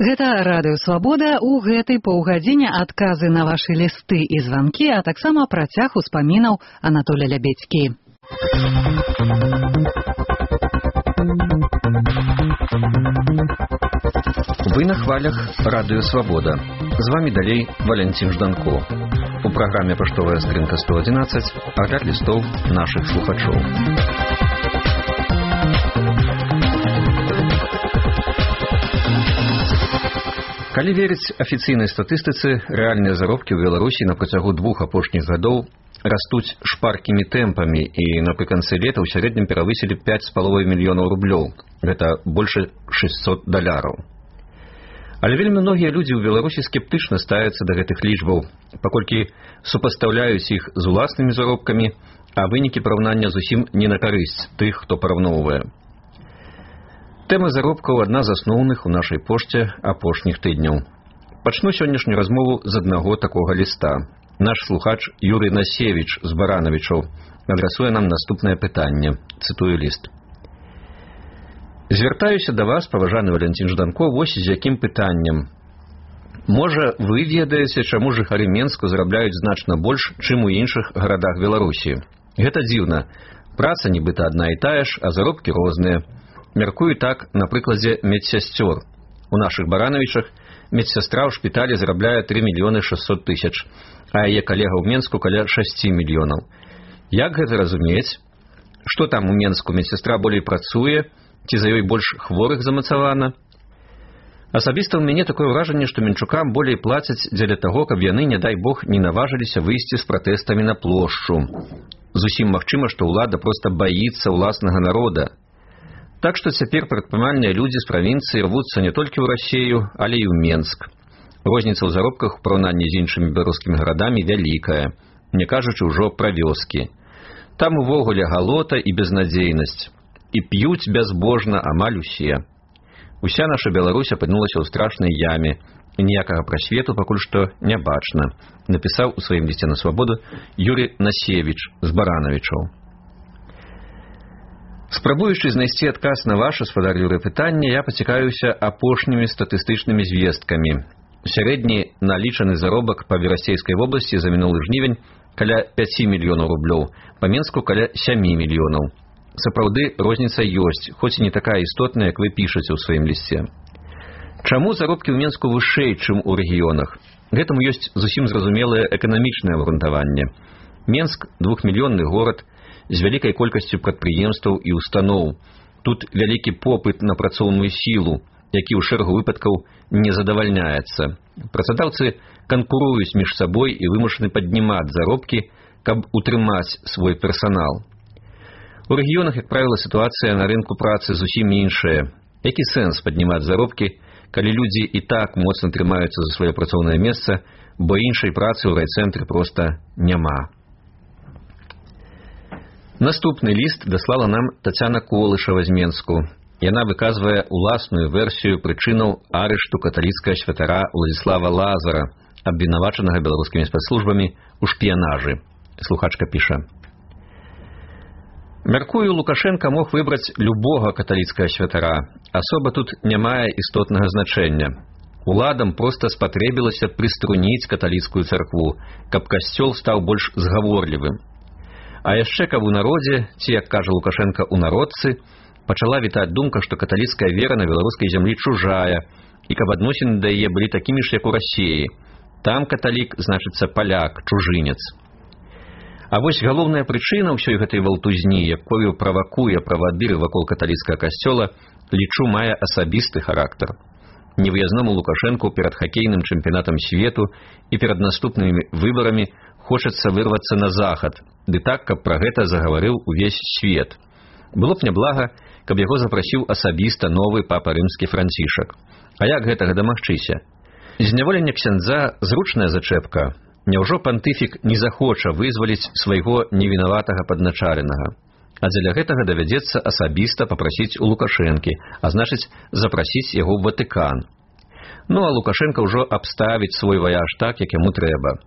Гэта Радыё Свабода. У гэтай паўгадзіне адказы на вашы лісты і званкі, а таксама працяг успамінаў Анатолія Лябедзькі. Вы на хвалях Радыё Свабода. З вами далей Валянцін Жданко. У праграме «Паштовая скрынка 111» агляд лістоў нашых слухачоў. Калі верыць афіцыйнай статыстыцы, рэальныя заробкі ў Беларусі на працягу 2 апошніх гадоў растуць шпаркімі тэмпамі і напрыканцы лета ў сярэднім перавысілі 5,5 мільёнаў рублёў. Гэта больш $600. Але вельмі многія людзі ў Беларусі скептычна ставяцца да гэтых лічбаў, паколькі супастаўляюць іх з уласнымі заробкамі, а вынікі параўнання зусім не на карысць тых, хто параўноўвае. Тэма заробкаў адна з асноўных у нашай пошце апошніх тыдняў. Пачну сённяшнюю размову з аднаго такога ліста. Наш слухач Юрый Насевіч з Баранавічаў адрасуе нам наступнае пытанне. Цытую ліст. Звяртаюся да вас, паважаны Валянцін Жданко, вось з якім пытаннем. Можа, вы ведаеце, чаму жыхары Менску зарабляюць значна больш, чым у іншых гарадах Беларусі? Гэта дзіўна. Праца нібыта адна і тая ж, а заробкі розныя. Мяркую так на прыкладзе медсясцёр. У нашых Баранавічах медсястра ў шпіталі зарабляе 3 600 000, а яе калега ў Менску каля 6 мільёнаў. Як гэта разумець? Што там у Менску медсястра болей працуе, ці за ёй больш хворых замацавана? Асабіста ў мяне такое ўражанне, што менчукам болей плацяць дзеля таго, каб яны, не дай Бог, не наважыліся выйсці з пратэстамі на плошчу. Зусім магчыма, што ўлада проста баіцца ўласнага народа. Так што цяпер прадпрымальныя людзі з правінцыі рвуцца не толькі ў Расею, але і ў Менск. Розніца ў заробках у параўнанні з іншымі беларускімі гарадамі вялікая, не кажучы ўжо пра вёскі. Там увогуле галота і безнадзейнасць. І п'юць бязбожна амаль усе. Уся наша Беларусь апынулася ў страшнай яме, і ніякага прасвету пакуль што не бачна, напісаў у сваім лісце на Свабоду Юрый Насевіч з Баранавічаў. Спрабуючы знайсці адказ на ваше, спадар Юрый, пытанне, я пацікаюся апошнімі статыстычнымі звесткамі. Сярэдні налічаны заробак па Верасейскай вобласці за мінулы жнівень каля 5 мільёнаў рублёў, па Менску каля 7 мільёнаў. Сапраўды, розніца ёсць, хоць і не такая істотная, як вы пішаце ў сваім лісце. Чаму заробкі ў Менску вышэй, чым у рэгіёнах? Гэтаму ёсць зусім зразумелае эканамічнае абгрунтаванне. Менск – 2-мільённы горад з вялікай колькасцю прадпрыемстваў і устаноў. Тут вялікі попыт на працоўную сілу, які ў шэрагу выпадкаў не задавальняецца. Працадаўцы канкуруюць між сабой і вымушаны паднімаць заробкі, каб утрымаць свой персанал. У рэгіёнах, як правіла, сітуацыя на рынку працы зусім іншая. Які сэнс паднімаць заробкі, калі людзі і так моцна трымаюцца за сваё працоўнае месца, бо іншай працы ў райцэнтры проста няма. Наступны ліст даслала нам Тацяна Колышава з Менску. Яна выказвае уласную версію прычынаў арышту каталіцкага святара Уладзіслава Лазара, абвінавачанага беларускімі спецслужбамі ў шпіянажы. Слухачка піша. Мяркую, Лукашенка мог выбраць любога каталіцкага святара. Асоба тут не мае істотнага значэння. Уладам проста спатрэбілася прыструніць каталіцкую царкву, каб касцёл стаў больш згаворлівым. А яшчэ, каб у народзе, ці, як кажа Лукашенка, у народцы, пачала вітаць думка, што каталіцкая вера на беларускай зямлі чужая, і каб адносіны да яе былі такімі ж, як у Расіі. Там каталік, значыцца, паляк, чужынец. А вось галоўная прычына ўсёй гэтай валтузні, якою правакуе правадыры вакол каталіцкага касцёла, лічу, мае асабісты характар. Невыязному Лукашэнку перад хакейным чэмпіянатам свету і перад наступнымі выбарамі хочацца вырвацца на захад, ды так, каб пра гэта загаварыў увесь свет. Было б няблага, каб яго запрасіў асабіста новы папа рымскі Францішак. А як гэтага дамагчыся? Зняволення ксяндза – зручная зачэпка. Няўжо пантыфік не захоча вызваліць свайго невінаватага падначаленага? А дзеля гэтага давядзецца асабіста папрасіць у Лукашэнкі, а значыць, запрасіць яго ў Ватыкан. Ну, а Лукашенка ўжо абставіць свой ваяж так, як яму трэба.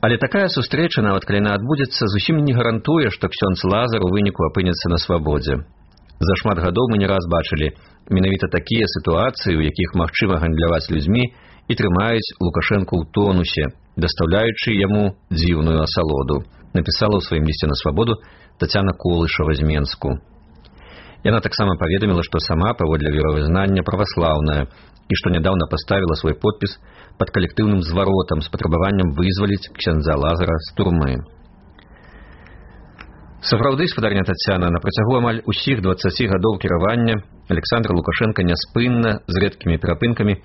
Але такая сустрэча, нават калі яна адбудзецца, зусім не гарантуе, што ксёндз Лазар у выніку апынецца на свабодзе. За шмат гадоў мы не раз бачылі менавіта такія сітуацыі, у якіх магчыма гандляваць людзьмі, і трымаюць Лукашэнку ў тонусе, дастаўляючы яму дзіўную асалоду, напісала ў сваім лісце на свабоду Тацяна Колышава з Менску. Яна таксама паведаміла, што сама паводле веравызнання праваслаўная і што нядаўна паставіла свой подпіс пад калектыўным зваротам з патрабаваннем вызваліць ксяндза Лазара з турмы. Сапраўды, спадарня Тацяна, на працягу амаль усіх 20 гадоў кіравання Александр Лукашенко няспынна, з рэдкімі перапынкамі,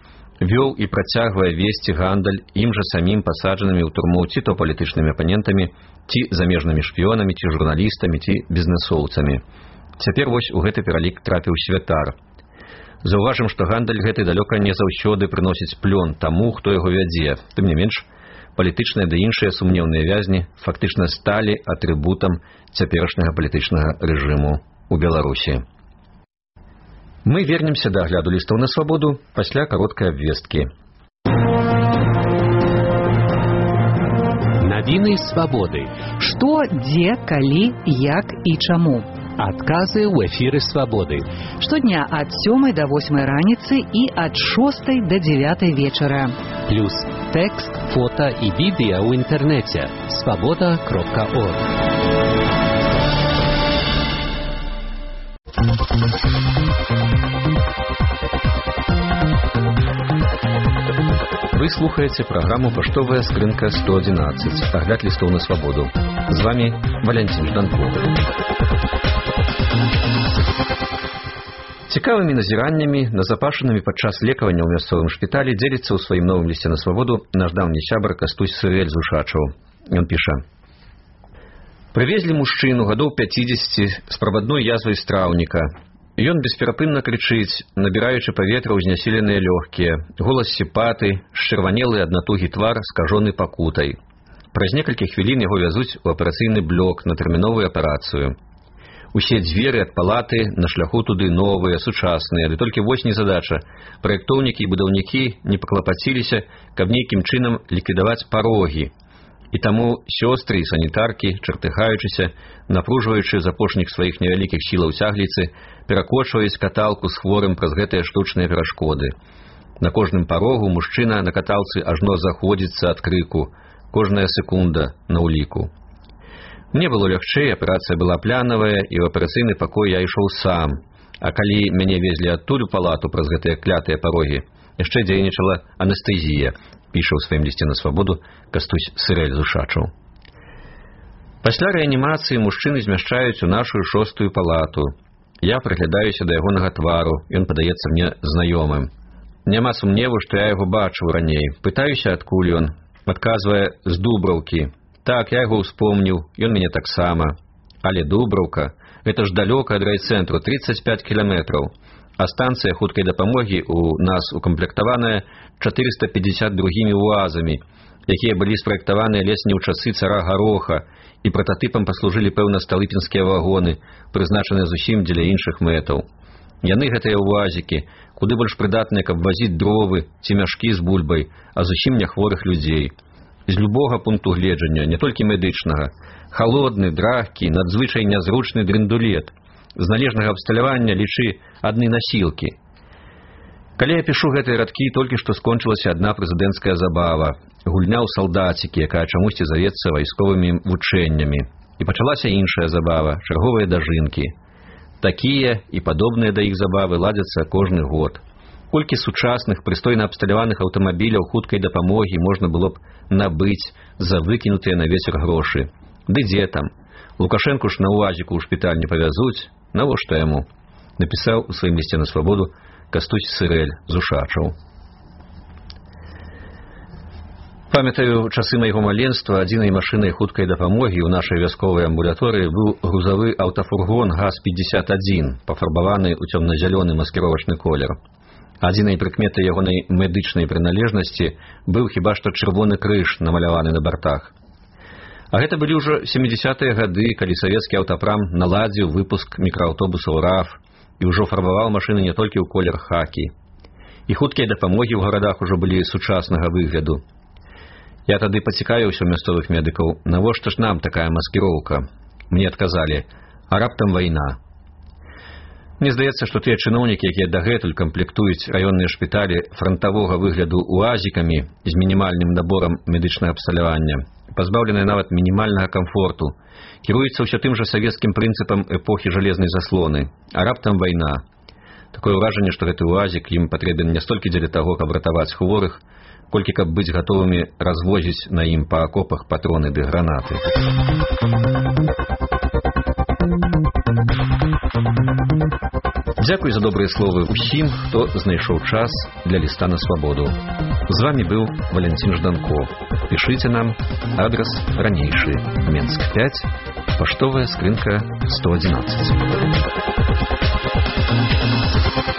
вёў і працягвае весці гандаль ім жа самім пасаджанымі ў турму ці то палітычнымі апанентамі, ці замежнымі шпіёнамі, ці журналістамі, ці бізнэсоўцамі. Цяпер вось у гэты пералік трапіў святар. Заўважым, што гандаль гэты далёка не заўсёды прыносіць плён таму, хто яго вядзе. Тым не менш, палітычныя ды іншыя сумнеўныя вязні фактычна сталі атрыбутам цяперашняга палітычнага рэжыму ў Беларусі. Мы вернемся да агляду лістаў на свабоду пасля кароткай абвесткі. Навіны свабоды. Што, дзе, калі, як і чаму. Адказы ў эфіры свабоды. Штодня ад 7 до 8 раніцы і ад 6 до 9 вечара. Плюс тэкст, фота і відэа ў інтэрнэце. Свабода.орг. Вы слухаеце праграму «Паштовая скрынка 111». Агляд лістаў на свабоду. З вами Валянцін Жданков. Цікавымі назіраннямі, назапашанымі падчас лекавання ў мясцовым шпіталі, дзеліцца ў сваім новым лісце на свабоду наш даўні сябар Кастусь Сырэль з Ушачаў. Ён піша: «Прывезлі мужчыну гадоў 50 з правадной язвай страўніка. Ён бесперапынна крычыць, набіраючы паветра ў знясіленыя лёгкія, голас сіпаты, счырванелы ад натугі твар, скажоны пакутай. Праз некалькі хвілін яго вязуць у аперацыйны блок на тэрміновую аперацыю. Усе дзверы ад палаты на шляху туды новыя, сучасныя, ды толькі вось незадача. Праектоўнікі і будаўнікі не паклапаціліся, каб нейкім чынам ліквідаваць парогі. І таму сёстры і санітаркі, чартыхаючыся, напружваючы з апошніх сваіх невялікіх сілаў цягліцы, перакочваюць каталку з хворым праз гэтыя штучныя перашкоды. На кожным парогу мужчына на каталцы ажно заходзіцца ад крыку. Кожная секунда на ўліку. Мне было лягчэй, аперацыя была плянавая, і ў аперацыйны пакой я ішоў сам. А калі мяне везлі адтуль у палату праз гэтыя клятыя парогі, яшчэ дзейнічала анестэзія, піша ў сваім лісце на свабоду Кастусь Сырэль з Ушачаў. Пасля рэанімацыі мужчыны змяшчаюць у нашу 6-ю палату. Я прыглядаюся да ягонага твару, ён падаецца мне знаёмым. Няма сумневу, што я яго бачыў раней. Пытаюся, адкуль ён. Адказвае: з Дубраўкі. Так, я яго ўспомніў, ён мяне таксама. Але Дубраўка — гэта ж далёка ад райцэнтру, 35 кіламетраў. А станцыя хуткай дапамогі у нас укамплектаваная 452 уазамі, якія былі спраектаваныя ледзь не ў часы цара Гароха, і прататыпам паслужылі, пэўна, сталыпінскія вагоны, прызначаныя зусім дзеля іншых мэтаў. Яны, гэтыя уазікі, куды больш прыдатныя, каб вазіць дровы ці мяшкі з бульбай, а зусім не хворых людзей. З любога пункту гледжання, не толькі медычнага, халодны, драхкі, надзвычай нязручны дрындулет. З належнага абсталявання лічы адны насілкі. Калі я пішу гэтыя радкі, толькі што скончылася адна прэзідэнцкая забава, гульня ў салдацікі, якая чамусьці завецца вайсковымі вучэннямі. І пачалася іншая забава, чарговыя дажынкі. Такія і падобныя да іх забавы ладзяцца кожны год. Колькі сучасных, прыстойна абсталяваных аўтамабіляў хуткай дапамогі можна было б набыць за выкінутыя на вецер грошы. Ды дзе там? Лукашэнку ж на уазіку ў шпіталь не павязуць. Навошта яму? Напісаў у сваім лісце на свабоду Кастусь Сырэль з Ушачаў. Памятаю, часы майго маленства адзінай машынай хуткай дапамогі ў нашай вясковай амбуляторыі быў грузавы аўтафургон ГАЗ-51, пафарбаваны ў цёмна-зялёны маскіровачны колер. Адзінай прыкметай ягонай медычнай прыналежнасці быў хіба што чырвоны крыж, намаляваны на бартах. А гэта былі ўжо 70-е гады, калі савецкі аўтапрам наладзіў выпуск мікрааўтобусаў РАФ і ўжо фарбаваў машыны не толькі ў колер хакі. І хуткія дапамогі ў гарадах ужо былі сучаснага выгляду. Я тады пацікавіўся ў мясцовых медыкаў, навошта ж нам такая маскіроўка? Мне адказалі: а раптам вайна. Мне здаецца, што тыя чыноўнікі, якія дагэтуль камплектуюць раённыя шпіталі франтавога выгляду уазікамі з мінімальным наборам медычнага абсталявання, пазбаўленыя нават мінімальнага камфорту, кіруюцца ўсё тым жа савецкім прынцыпам эпохі жалезнай заслоны, а раптам вайна. Такое ўражанне, што гэты уазік ім патрэбен не столькі дзеля таго, каб ратаваць хворых, колькі каб быць гатовымі развозіць на ім па акопах патроны ды гранаты. Дзякуй за добрыя словы ўсім, хто знайшоў час для ліста на свабоду. З вами быў Валентин Жданко. Пішыце нам, адрес ранейшы, Менск 5, паштовая скрынка 111.